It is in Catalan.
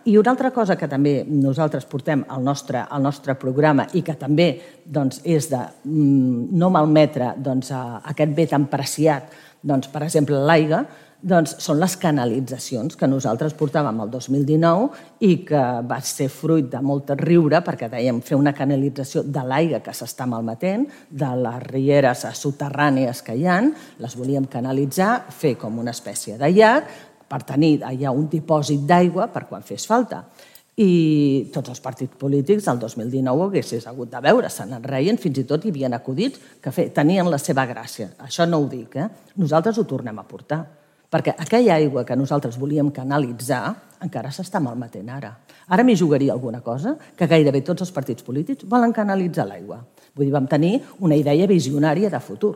I una altra cosa que també nosaltres portem al nostre programa i que també és de no malmetre aquest bé tan preciat, per exemple, l'aigua, són les canalitzacions que nosaltres portàvem el 2019 i que va ser fruit de molt riure perquè dèiem fer una canalització de l'aigua que s'està malmetent, de les rieres soterrànies que hi ha, les volíem canalitzar, fer com una espècie de llac per tenir allà un dipòsit d'aigua per quan fes falta. I tots els partits polítics el 2019 ho haguessis hagut de veure, se n'en reien, fins i tot hi havia acudits que tenien la seva gràcia. Això no ho dic, nosaltres ho tornem a portar. Perquè aquella aigua que nosaltres volíem canalitzar encara s'està malmetent ara. Ara m'hi jugaria alguna cosa, que gairebé tots els partits polítics volen canalitzar l'aigua. Vull dir, vam tenir una idea visionària de futur.